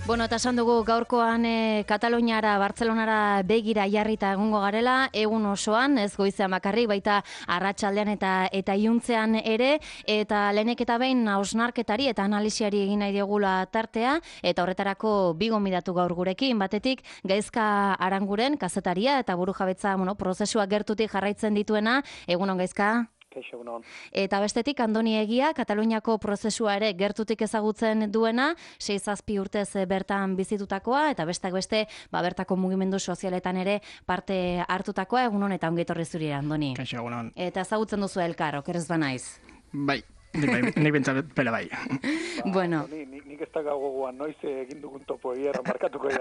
Bueno, eta esan dugu gaurkoan Kataluniara, Bartzelonara begira jarrita egongo garela, egun osoan, ez goizean bakarrik, baita arratsaldean eta iluntzean ere, eta lehenek eta behin hausnarketari eta analisiari egin nahi diogula tartea, eta horretarako bi gonbidatu gaur gurekin, batetik Gaizka Aranguren, kazetaria eta burujabetza prozesua gertutik jarraitzen dituena, egunon Gaizka? Eta bestetik Andoni Egia, Kataluniako prozesua ere gertutik ezagutzen duena, 6-7 urtez bertan bizitutakoa, eta besteak beste, bertako mugimendu sozialetan ere parte hartutakoa, egunon eta ongi etorri zuri, Andoni. Kaixo, egunon. Eta ezagutzen duzu elkar, okerez banaiz. Bai, nik bentsat pele bai. Bueno. Nik ez da gogoan noiz egin dugun topo egia markatuko egia.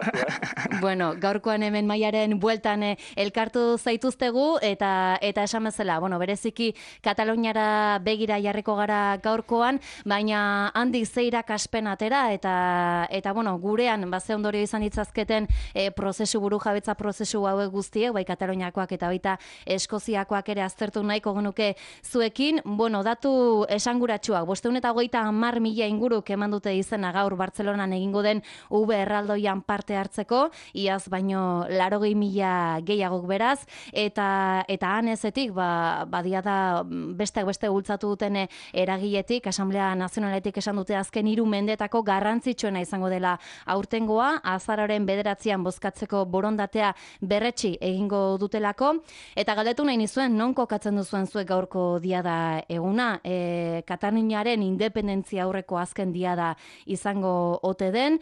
Bueno, gaurkoan hemen Maiaren bueltan elkartu zaituztegu eta esan bezala, bereziki Kataluniara begira jarriko gara gaurkoan, baina handik ze irakaspen atera eta gurean ze ondorio izan ditzazketen burujabetza prozesu hauek guztiek, bai Kataluniakoak eta baita Eskoziakoak ere aztertu nahiko genuke zuekin. Datu esanguratsuak, 530.000 inguruk eman dute izena gaur Bartzelonan egingo den UB erraldoian parte hartzeko, iaz baino 80.000 gehiagok beraz, eta hanezetik, badia da besteak beste bultzatu duten eragiletik, Asamblea Nazionaletik esan dute azken 3 mendetako garrantzitsuena izango dela aurtengoa, azaroaren 9an bozkatzeko borondatea berretsi egingo dutelako, eta galdetu nahi nizuen, non kokatzen duzuen zuek gaurko diada eguna, Kataluniaren independentzia aurreko azken diada izango ote den,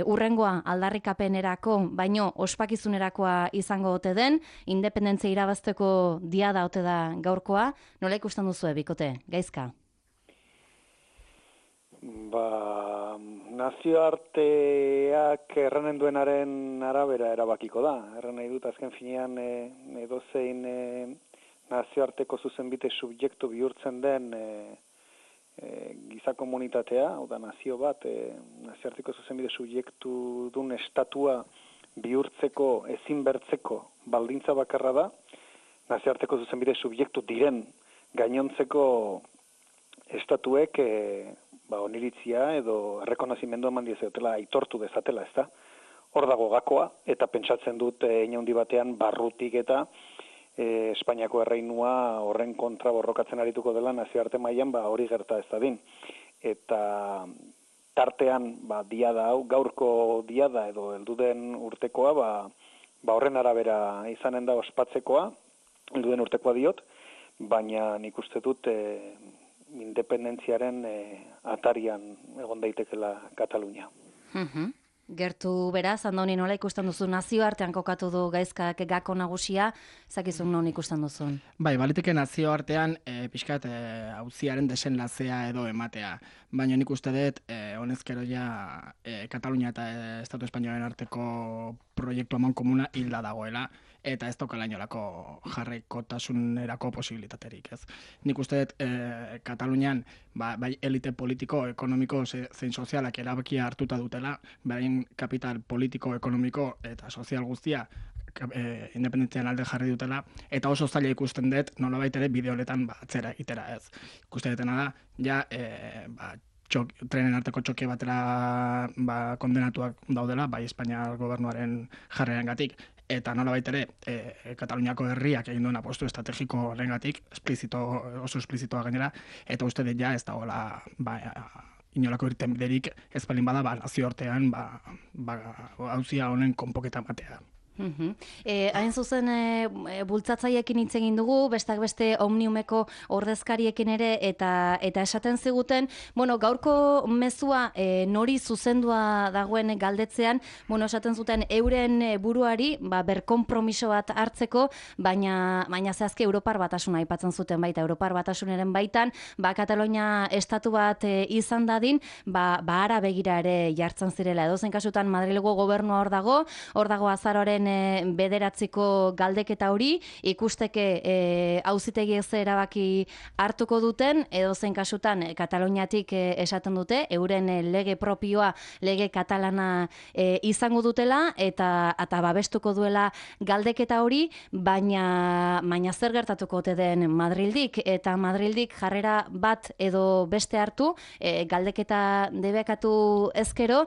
urrengoa aldarrikapenerako, baino ospakizunerakoa izango ote den, independentzia irabazteko diada ote da gaurkoa, nola ikusten duzue, bikote, Gaizka? Nazioarteak erranen duenaren arabera erabakiko da. Erran nahi dut, azken finean edozein nazioarteko zuzenbide subjektu bihurtzen den giza komunitatea, hau da nazio bat, nazioarteko zuzenbide subjektu dun estatua bihurtzeko, ezin bertzeko baldintza bakarra da, nazioarteko zuzenbide subjektu diren gainontzeko estatuek oniritzia edo errekonozimendu eman diezatela, aitortu dezatela, ezta? Hor dago gakoa, eta pentsatzen dut inaundi batean barrutik eta Espainiako erreinua horren kontra borrokatzen arituko dela nazioarte mailan hori gerta ez dadin. Eta tartean diada hau, gaurko diada edo helduden urtekoa, horren arabera izanen da ospatzekoa, helduden urtekoa diot, baina nik uste dut independentziaren atarian egon daitekela Katalunia. Gertu beraz, Andoni, nola ikusten duzu, nazioartean kokatu du Gaizkak gako nagusia, zakizun non ikusten duzun? Bai, baliteke nazioartean pixkat auziaren desenlazea edo ematea. Baina nik uste dut, honezkero ja Katalunia eta Estatu Espainolaren arteko proiektu eman komuna hilda dagoela, eta ez daukala inolako jarraikotasunerako posibilitaterik, ez. Nik uste dut Katalunian bai elite politiko, ekonomiko zein sozialak erabakia hartuta dutela, beraien kapital politiko, ekonomiko eta sozial guztia independentzian alde jarri dutela, eta oso zaila ikusten dut nolabait ere bide honetan atzera egitera, ez. Ikusten dutena da, ja trenen arteko txoke batera kondenatuak daudela, bai Espainiar gobernuaren jarrerengatik, eta nolabait ere Kataluniako herriak egin duen apostu estrategiko horrengatik, oso esplizitoa gainera, eta uste dut ja ez dagoela inolako irtenbiderik ez balin bada nazioartean auzia honen konpoketa matea. Hain zuzen bultzatzaiekin hitz egin dugu, bestak beste Omniumeko ordezkariekin ere, eta esaten ziguten, gaurko mezua nori zuzendua dagoen galdetzean, esaten zuten euren buruari berkonpromiso bat hartzeko, baina zehazki Europar Batasuna aipatzen zuten baita, Europar Batasunaren baitan, Katalunia estatu bat izan dadin, ara begira ere jartzen zirela. Edozein kasutan Madrilgo gobernua hor dago azaroaren urriaren 9 galdeketa hori, ikusteke auzitegi ez erabaki hartuko duten, edo zen kasutan Kataluniatik esaten dute, euren lege propioa, lege katalana izango dutela, eta babestuko duela galdeketa hori, baina zer gertatuko ote den Madrildik, eta Madrildik jarrera bat edo beste hartu, galdeketa debekatu ezkero,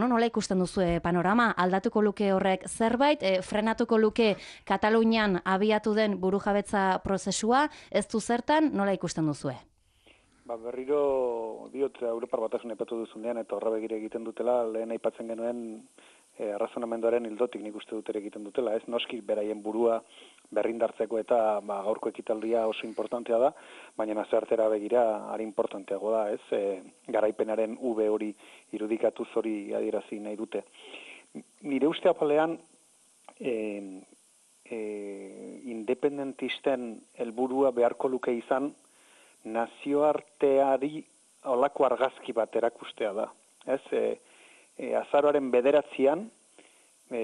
nola ikusten duzue panorama, aldatuko luke horrek zerbait, frenatuko luke Katalunian abiatu den burujabetza prozesua, ez du zertan, nola ikusten duzue? Berriro diot Europar Batasun aipatu duzunean eta horra begire egiten dutela, lehen aipatzen genuen arrazonamenduaren ildotik nik uste dut ere egiten dutela, ez noski beraien burua berrindartzeko eta gaurko ekitaldia oso importantea da, baina nazioartera begira ari importanteago da, ez garaipenaren V hori irudikatuz hori adierazi nahi dute. Nire uste apalean independentisten helburua beharko luke izan nazioarteari olako argazki bat erakustea da. Azaroaren 9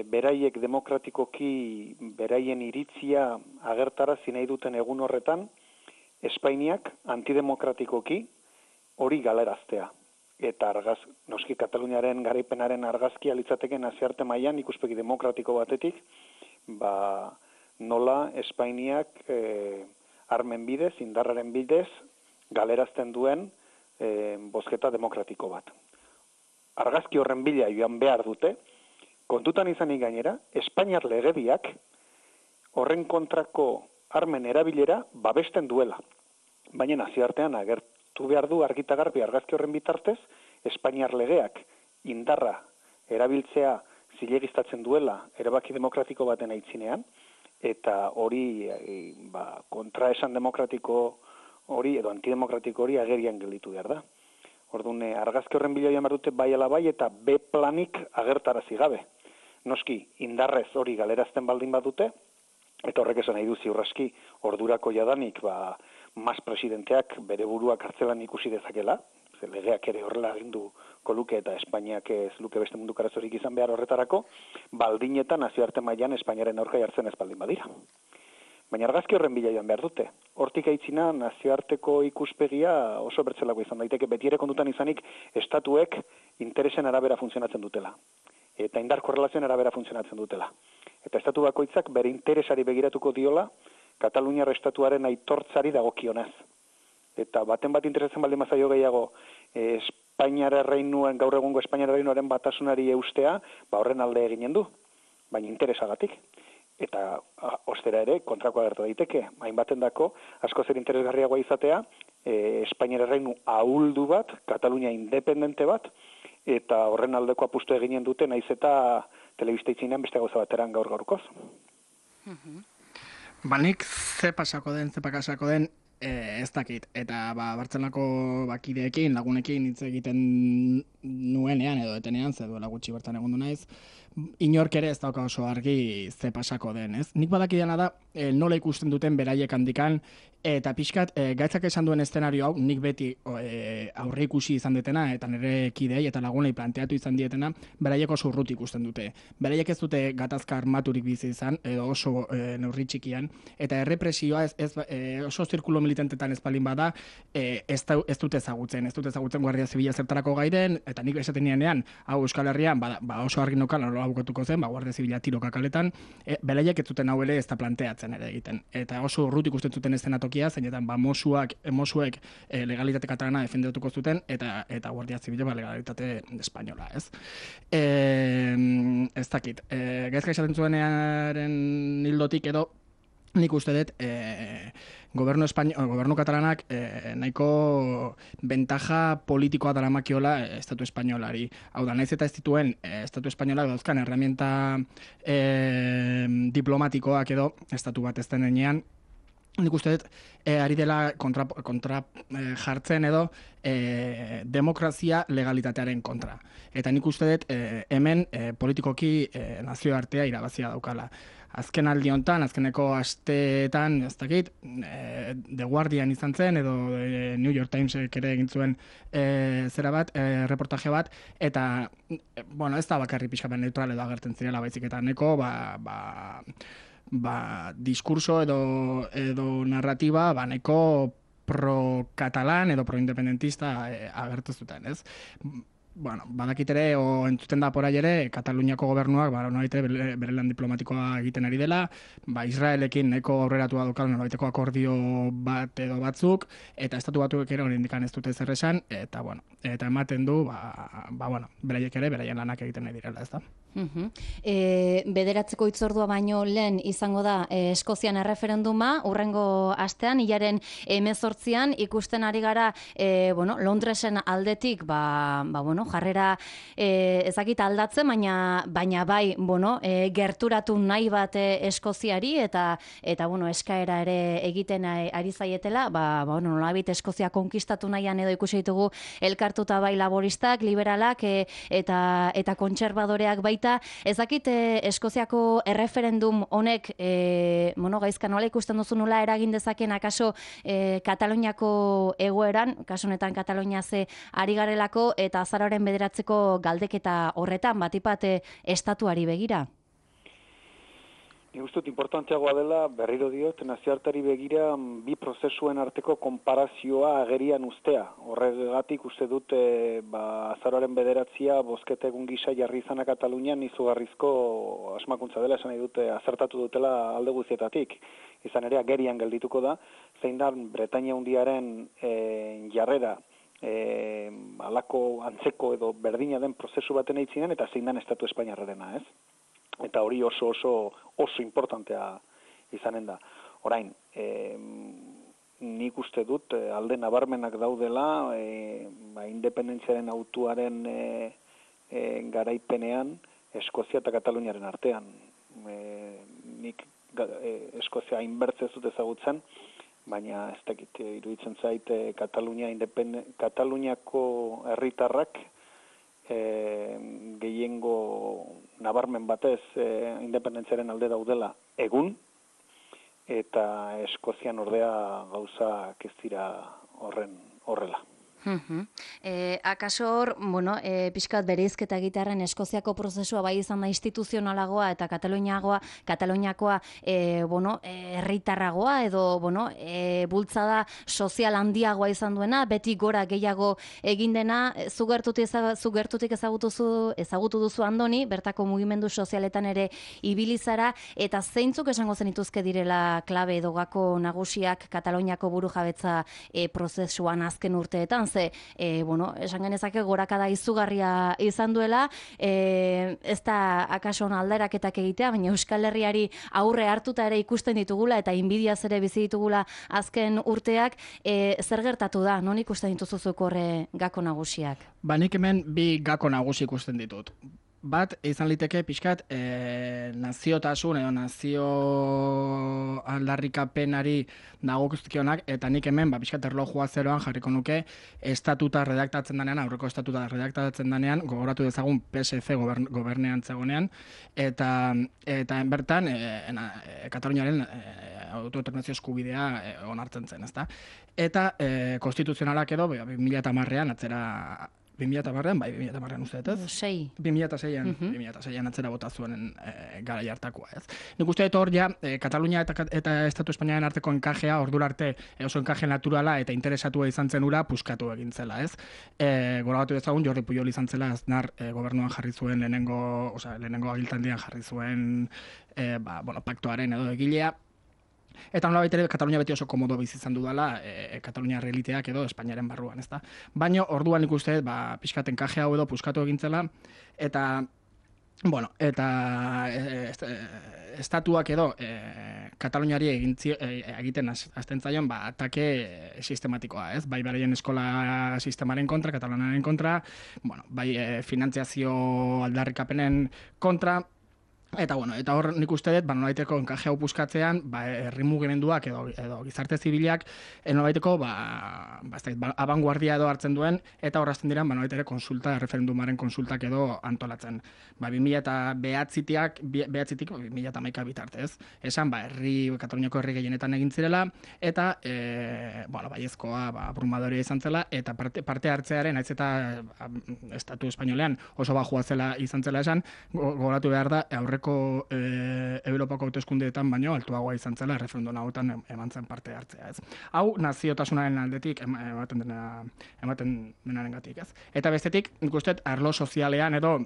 beraiek demokratikoki beraien iritzia agertarazi nahi duten egun horretan, Espainiak antidemokratikoki hori galeraztea. Eta noski Kataluniaren garaipenaren argazkia litzateke nazioarte mailan ikuspegi demokratiko batetik, nola Espainiak armen bidez, indarraren bidez, galerazten duen bozketa demokratiko bat. Argazki horren bila joan behar dute, kontutan izanik gainera, Espainiar legediak horren kontrako armen erabilera babesten duela. Baina nazioartean agertu behar du argita garbi argazki horren bitartez, Espainiar legeak indarra erabiltzea zilegiztatzen duela erabaki demokratiko baten aitzinean, eta hori kontraesan demokratiko hori edo antidemokratiko hori agerian gelditu behar da. Orduan, argazki horren bila joan behar dute bai ala bai eta B planik agertarazi gabe. Noski, indarrez hori galerazten baldin badute, eta horrek esan nahi du ziurraski ordurako jadanik mas presidenteak bere burua kartzelan ikusi dezakela, legeak ere horrela aginduko luke eta Espainiak ez luke beste munduko arazorik izan behar horretarako, baldin nazioarte mailan Espainiaren aurka jartzen ez baldin badira. Baina argazki horren bila joan behar dute. Hortik aitzina nazioarteko ikuspegia oso bertzelako izan daiteke, beti ere kontutan izanik estatuek interesen arabera funtzionatzen dutela. Eta indar korrelazioen arabera funtzionatzen dutela. Eta estatu bakoitzak bere interesari begiratuko diola, Kataluniar estatuaren aitortzari dagokionez. Eta baten bat interesatzen baldin mazaio gehiago Espainiar erreinuen, gaur egungo Espainiar erreinuaren batasunari eustea, horren alde eginen du, baina interesagatik. Eta ostera ere, kontrakoa gertu daiteke, hainbaten dako, asko zer interesgarriagoa izatea, Espainiar erreinu ahuldu bat, Katalunia independente bat, eta horren aldeko apustu eginen dute, naiz eta telebista itzinean beste gauza bateran gaur-gaurkoz. Nik ze pakasako den, ez dakit. Eta Bartzelonako kideekin, lagunekin hitz egiten nuenean edo etenean, ze duela gutxi bertan egondu naiz, inork ere ez dauka oso argi ze pasako den, ez? Nik badakidana da, nola ikusten duten beraiek handikan, eta pixkat, gaitzak esan duen eszenario hau, nik beti aurre ikusi izan detena, eta nire kidei eta lagunei planteatu izan dietena, beraiek oso urruti ikusten dute. Beraiek ez dute gatazka armaturik bizi izan, edo oso neurri txikian, eta errepresioa oso zirkulo militantetan ez balin bada, ez dute ezagutzen Guardia Zibila zertarako gairen, eta nik esaten nienean, hau Euskal Herrian, oso argi nokan, nola bukatuko zen, Guardia Zibila tiroka kaletan, beraiek ez zuten hau ere ez da planteatzen ere egiten. Eta oso urruti ikusten zuten eszenatokia, zeinetan mosuek legalitate katalana defendatuko zuten, eta Guardia Zibila legalitate espainola, ez? Ez dakit. Gaizka esaten zuenearen hildotik edo, nik uste dut, gobernu katalanak nahiko bentaja politikoa daramakiola estatu espainolari. Hau da, naiz eta ez dituen estatu espainolak dauzkan herramienta diplomatikoak edo estatu bat ez denean, nik uste dut, ari dela kontra jartzen edo demokrazia legalitatearen kontra. Eta nik uste dut, hemen politikoki nazioartea irabazia daukala. Azken aldi hontan, azkeneko asteetan, ez dakit, The Guardian izan zen, edo New York Timesek ere egin zuen reportaje bat, eta, bueno, ez da bakarri pixkapen neutral edo agertzen zirela baizik, eta neko, diskurso edo narratiba nahiko pro-katalan edo pro-independentista agertu zuten, ez? Bueno, badakit ere, o entzuten da porai ere, Kataluniako gobernuak, bere lan diplomatikoa egiten ari dela, Israelekin nahiko aurreratua daukala nolabaiteko akordio bat edo batzuk, eta estatu batuek ere oraindik ez dute zer esan, eta bueno, eta ematen du, beraiek ere, beraien lanak egiten nahi direla, ez da? Bederatzeko hitzordua baino lehen izango da Eskozian erreferenduma, hurrengo astean, hilaren 18an ikusten ari gara Londresen aldetik jarrera ezakit aldatzen, baina bai gerturatu nahi bat Eskoziari eta eskaera ere egiten ari zaietela, nolabait Eskozia konkistatu nahian edo ikusi ditugu elkartuta bai laboristak, liberalak eta kontserbadoreak baita. Ezakit Eskoziako erreferendum honek gaizka nola ikusten duzu nola eragin dezaken akaso Kataluniako egoeran, kasu honetan Katalunia ze ari garelako eta azaroaren 9 galdeketa horretan batipat estatuari begira. Nik uste dut importanteagoa dela, berriro diot, nazioarteari begira bi prozesuen arteko konparazioa agerian ustea. Horregatik uste dut azaroaren 9 bozketa egun gisa jarri izana Katalunian izugarrizko asmakuntza dela, esan nahi dute azertatu dutela alde guztietatik. Izan ere agerian geldituko da, zein da Bretainia Handiaren jarrera alako antzeko edo berdina den prozesu baten eitzinen eta zein dan Estatu Espainiarrarena, ez? Eta hori oso importantea izanen da. Orain, nik uste dut alde nabarmenak daudela independentziaren autuaren garaipenean Eskozia eta Kataluniaren artean. Nik Eskozia hainbertze ez dut ezagutzen, baina ez dakit iruditzen zait Kataluniako herritarrak gehiengo nabarmen batez independentziaren alde daudela egun, eta Eskozian ordea gauzak ez dira horrela. Akaso hor, pixkat bereizketa egitearen Eskoziako prozesua bai izan da instituzionalagoa eta Kataluniakoa herritarragoa edo bultzada sozial handiagoa izan duena, beti gora gehiago egin dena, zu gertutik ezagutu duzu Andoni, bertako mugimendu sozialetan ere ibilizara, eta zeintzuk esango zenituzke direla klabe edo gako nagusiak Kataluniako burujabetza prozesuan azken urteetan, ze, esan genezake gorakada izugarria izan duela, ez da akaso alderaketak egitea, baina Euskal Herriari aurre hartuta ere ikusten ditugula eta inbidiaz ere bizi ditugula azken urteak, zer gertatu da, non ikusten dituzuzuk horre gako nagusiak? Nik hemen bi gako nagusi ikusten ditut. Bat, izan liteke pixkat naziotasun edo nazio aldarrikapenari dagokizkionak, eta nik hemen pixkat erlojua zeroan jarriko nuke estatuta redaktatzen danean, aurreko estatuta redaktatzen danean, gogoratu dezagun PSC gobernean zegonean, eta bertan Kataluniaren autodeterminazio eskubidea onartzen zen, ezta? Eta konstituzionalak edo 2010an atzera 2010an uste dut, ez? 2006an atzera bota zuen garai hartakoa, ez? Nik uste dut hor ja, Katalunia eta Estatu Espainiaren arteko enkajea, ordura arte oso enkaje naturala eta interesatua izan zen ura puskatu egin zela, ez? Gorabatu dezagun, Jordi Pujol izan zela Aznar gobernuan jarri zuen lehenengo agiltandian jarri zuen paktoaren edo egilea. Eta nolabait ere Katalunia beti oso komodo bizi izan dudala, Katalunia realiteak edo Espainiaren barruan, ezta? Baina orduan ikuste, pixkat enkaje hau edo puskatu egintzela, eta estatuak edo Kataluniari egiten hasten zaion atake sistematikoa, ez? Bai beraien eskola sistemaren kontra, Katalanaren kontra, bai finantziazio aldarrikapenen kontra, Eta eta hor nik uste dut, nolabaiteko enkaje hau puskatzean, herri mugimenduak edo gizarte zibilak nolabaiteko abanguardia edo hartzen duen, eta horrazten dira nolabait ere referendumaren konsultak edo antolatzen. 2009-tik 2011 bitartez. Esan, Kataluniako herri gehienetan egin zirela, eta baiezkoa abrumadorea izan zela, eta parte hartzearen, naiz eta Estatu Espainolean oso bajua zela izan zela esan, gogoratu behar da, aurreko Europako hauteskundeetan baino altuagoa izan zela referendum hauetan eman zen parte hartzea, ez. Hau naziotasunaren aldetik ematen denarengatik, ez. Eta bestetik, nik uste arlo sozialean edo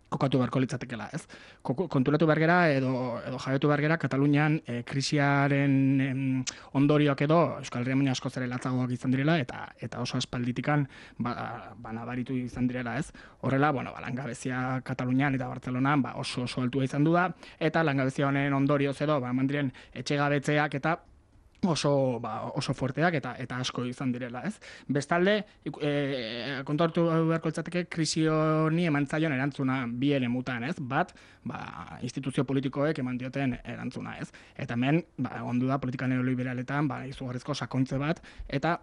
kokatu beharko litzatekela, ez? Konturatu behar gera edo jabetu behar gera Katalunian krisiaren ondorioak edo Euskal Herrian baino askoz ere latzagoak izan direla eta oso aspalditikan nabaritu izan direla, ez? Horrela, langabezia Katalunian eta Bartzelonan oso altua izan du da, eta langabezia honen ondorioz edo eman diren etxegabetzeak eta oso fuerteak eta asko izan direla, ez? Bestalde, kontuartu beharko litzateke krisi honi eman zaion erantzuna bi eremutan, ez? Bat, instituzio politikoek eman dioten erantzuna, ez? Eta hemen, ondu da politika neoliberaletan, izugarrizko sakontze bat, eta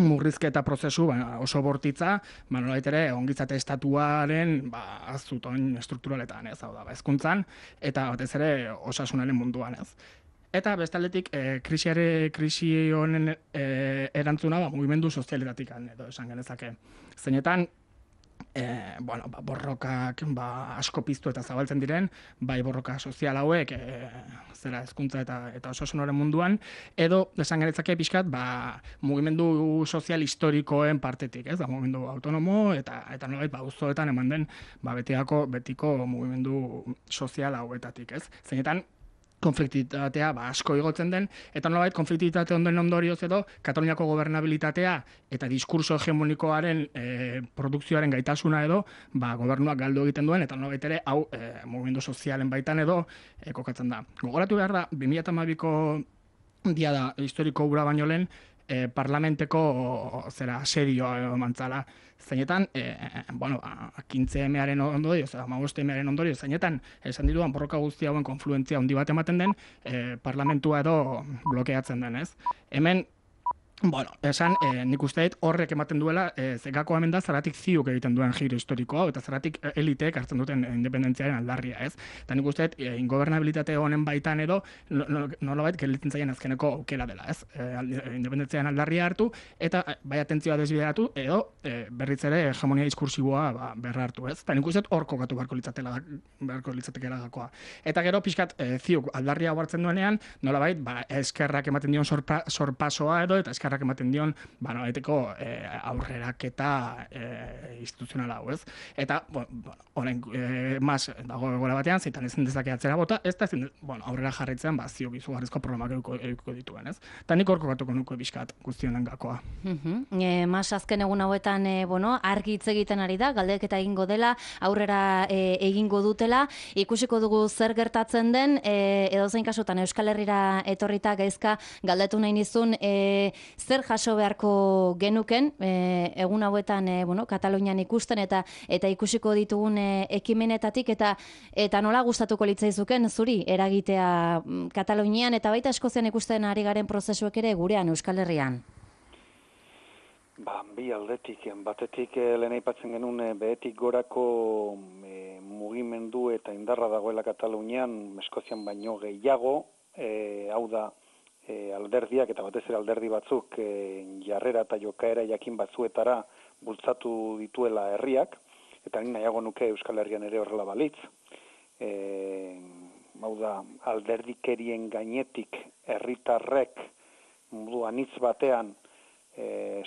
murrizketa prozesu oso bortitza, nolabait ere ongizate estatuaren azutoin strukturaletan, ez? Hau da, hezkuntzan eta batez ere osasunaren munduan, ez? Eta bestaldetik krisi honen erantzuna mugimendu sozialetatik edo esan genezake. Zeinetan borrokak asko piztu eta zabaltzen diren, bai borroka sozial hauek zera hezkuntza eta osasunaren munduan, edo esan genezake pixkat mugimendu sozial historikoen partetik, ez? Mugimendu autonomo eta nolabait auzoetan eman den betiko mugimendu sozial hauetatik, ez? Zeinetan konfliktitatea asko igotzen den, eta nolabait konfliktitate onden ondorioz edo Kataluniako gobernabilitatea eta diskurso hegemonikoaren produkzioaren gaitasuna edo gobernuak galdu egiten duen, eta nolabait ere hau mugimendu sozialen baitan edo kokatzen da. Gogoratu behar da, 2012ko diada historiko hura baino lehen, parlamenteko asedioa emantzala. Zeinetan, 15-mearen ondorioz, 15-mearen ondorioz, zeinetan, esan diruan borroka guzti hauen konfluentzia handi bat ematen den, parlamentua edo blokeatzen den, ez? Hemen, esan, nik uste dut horrek ematen duela, zekako hemen da, zeratik ziuk egiten duen giro historikoa, eta zeratik eliteek hartzen duten independentziaren aldarria, ez? Eta nik uste dut, ingobernabilitate honen baitan edo, nolabait gelditzen zaien azkeneko aukera dela, ez? Independentziaren aldarria hartu, eta bai atentzioa desbideratu, edo berriz ere hegemonia diskursiboa berra hartu, ez? Eta nik uste dut hor kokatu beharko litzatekela gakoa. Eta gero, pixkat, ziuk aldarria hartzen duenean, nolabait, eskerrak ematen dion sorpasoa edo, eta eskerrak ematen dion, nolabaiteko aurreraketa instituzionala hau, ez? Eta, horren, mas dago egoera batean, zeitan ezin dezake atzera bota, ez da ezin, aurrera jarraitzen, ziok izugarrizko problemak eduko dituen, ez? Eta nik horko gatuko nuke bizkat guztionen gakoa. Mas azken egun hauetan, argi hitz egiten ari da, galdeketa egingo dela, aurrera egingo dutela, ikusiko dugu zer gertatzen den, edozein kasutan Euskal Herrira etorrita gaizka galdetu nahi nizun, zer jaso beharko genuken, egun hauetan Katalunian ikusten eta ikusiko ditugun ekimenetatik, eta nola gustatuko litzaizuken zuri eragitea Katalunian, eta baita Eskozian ikusten ari garen prozesuek ere gurean Euskal Herrian? Bi aldetik, batetik lehen aipatzen genuen behetik gorako mugimendu eta indarra dagoela Katalunian, Eskozian baino gehiago, hau da, alderdiak eta batez ere alderdi batzuk jarrera eta jokaera jakin batzuetara bultzatu dituela herriak, eta ni nahiago nuke Euskal Herrian ere horrela balitz. Hau da, alderdikerien gainetik herritarrek modu anitz batean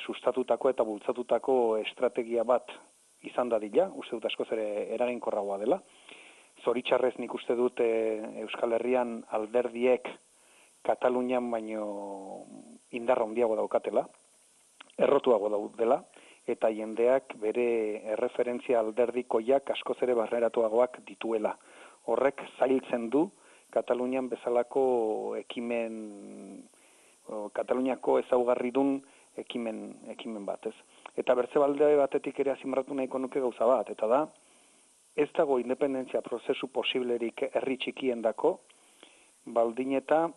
sustatutako eta bultzatutako estrategia bat izan dadila, uste dut askoz ere eraginkorragoa dela. Zoritxarrez nik uste dut Euskal Herrian alderdiek Katalunian baino indarra handiago daukatela, errotuago daudela, eta jendeak bere erreferentzia alderdikoiak askoz ere barneratuagoak dituela. Horrek zailtzen du Katalunian bezalako Kataluniako ezaugarridun ekimen batez. Eta bertze balde batetik ere azimratu nahiko nuke gauza bat, eta da, ez dago independentzia prozesu posiblerik herri txikiendako, baldin eta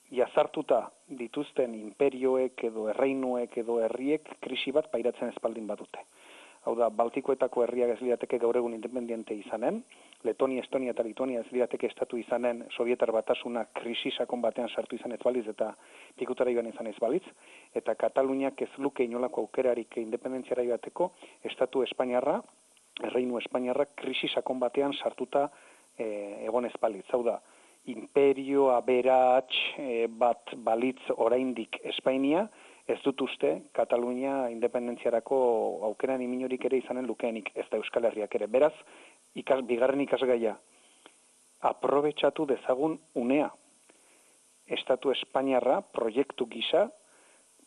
jazartuta dituzten imperioek edo erreinuek edo herriek krisi bat pairatzen espaldin badute. Hau da, Baltikoetako herriak ez lirateke gaur egun independiente izanen, Letonia, Estonia eta Lituania ez lirateke estatu izanen, Sovietar Batasuna krisi sakon batean sartu izan ez baliz eta pikutara joan izan ez balitz, eta Kataluniak ez luke inolako aukerarik independentziara joateko, estatu Espainiarra, erreinu Espainiarra krisi sakon batean sartuta egon ez balitz. Hau da, imperio aberats bat balitz oraindik Espainia, ez dut uste Katalunia independentziarako aukeran iminorik ere izanen lukeenik, ez da Euskal Herriak ere. Beraz, bigarren ikasgaia, aprobetxatu dezagun unea. Estatu Espainiarra proiektu gisa,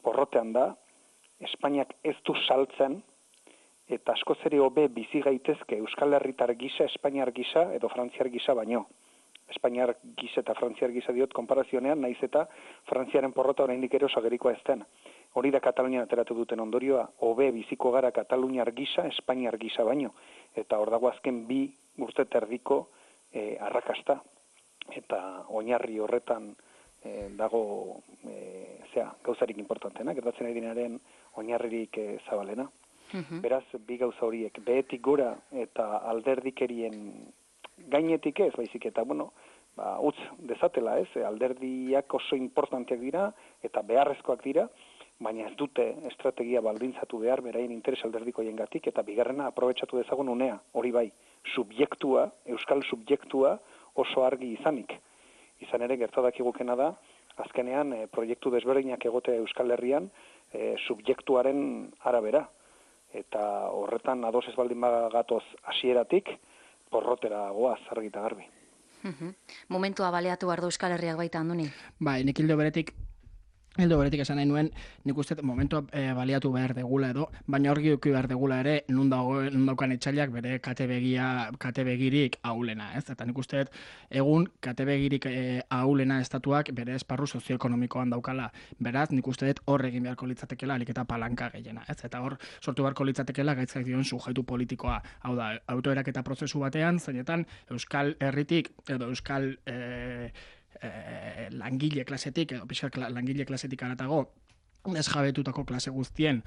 porrotean da, Espainiak ez du saltzen, eta askoz ere hobe bizi gaitezke Euskal Herritar gisa, Espainiar gisa edo Frantziar gisa baino. Espainiar gisa eta Frantziar gisa diot konparazionean, naiz eta Frantziaren porrota oraindik ere osagerikoa ez den. Hori da Katalunian ateratu duten ondorioa, hobe biziko gara Kataluniar gisa, Espainiar gisa baino. Eta hor dago azken 2 urte terdiko arrakasta. Eta oinarri horretan dago gauzarik importantena, gertatzen ari dinaren oinarririk zabalena. Beraz, 2 gauza horiek, behetik gora eta alderdikerien gainetik ez, baizik eta, utz dezatela ez, alderdiak oso importanteak dira eta beharrezkoak dira, baina ez dute estrategia baldintzatu behar beraien interes alderdiko jengatik, eta bigarrena aprobetxatu dezagun unea, hori bai, subjektua, euskal subjektua oso argi izanik. Izan ere gertadakigukena da, azkenean proiektu desberdinak egotea Euskal Herrian subjektuaren arabera. Eta horretan ados ez baldin bagatoz hasieratik, porrotera goaz argi eta garbi. Momentua baleatu behar du Euskal Herriak baita, Andoni? Bai, nik hildo beretik esan nahi nuen, nik uste momentua baliatu behar degula edo, baina hor eduki behar degula ere, nun daukan etxailak bere kate begirik ahulena, ez? Eta nik uste egun kate begirik ahulena estatuak bere esparru sozioekonomikoan daukala. Beraz, nik uste hor egin beharko litzatekela alik eta palanka gehiena, ez? Eta hor sortu beharko litzatekela gaitzak dion sujetu politikoa. Hau da, autoeraketa prozesu batean, zeinetan Euskal Herritik edo Euskal langile klasetik, edo pixka langile klasetik aratago, desjabetutako klase guztien,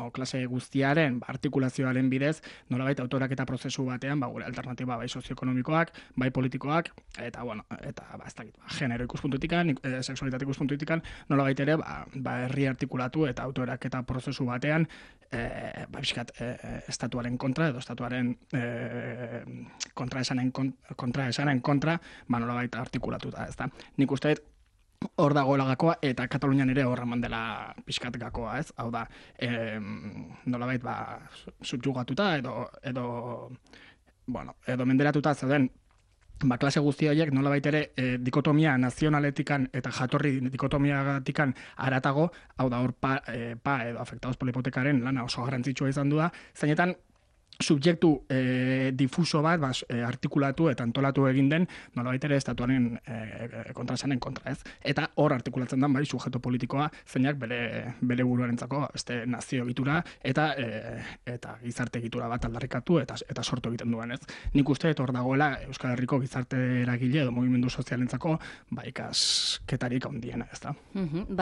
o klase guztiaren artikulazioaren bidez, nolabait autoraketa prozesu batean, gure alternatiba bai sozioekonomikoak, bai politikoak, eta, ez dakit, genero ikuspuntutikan, sexualitate ikuspuntutikan, nolabait ere, herri artikulatu eta autoraketa prozesu batean, estatuaren kontra, edo estatuaren kontraesanen kontra, nolabait artikulatuta, ez da. Nik uste hor dagoela gakoa, eta Katalunian ere hor eman dela pixkat gakoa, ez? Hau da, nolabait, subjugatuta edo menderatuta zeuden, klase guzti horiek nolabait ere dikotomia nazionaletikan eta jatorri dikotomiagatikan aratago, hau da hor edo afektados por la hipotekaren lana oso garrantzitsua izan du da, zeinetan subjektu difuso bat artikulatu eta antolatu egin den nolabait ere estatuaren kontraesanen kontra, ez? Eta hor artikulatzen den sujeto politikoa zeinak bere buruarentzako beste nazio egitura eta gizarte egitura bat aldarrikatu eta sortu egiten duen, ez? Nik uste hor dagoela Euskal Herriko gizarte eragile edo mugimendu sozialentzako ikasketarik handiena, ez da?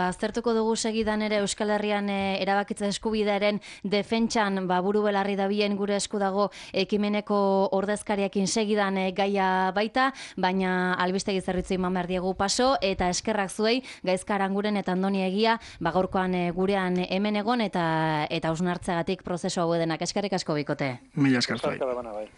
Aztertuko dugu segidan ere Euskal Herrian erabakitze eskubidearen defentsan buru belarri dabien gure esku dago ekimeneko ordezkariakin segidan gaia baita, baina albistegi zerbitzu eman behar diegu paso, eta eskerrak zuei, Gaizka Aranguren eta Andoni Egia, gaurkoan gurean hemen egon eta hausnartzeagatik prozesu hau edenak. Eskerrik asko bikote. Mila esker zuei. Bai.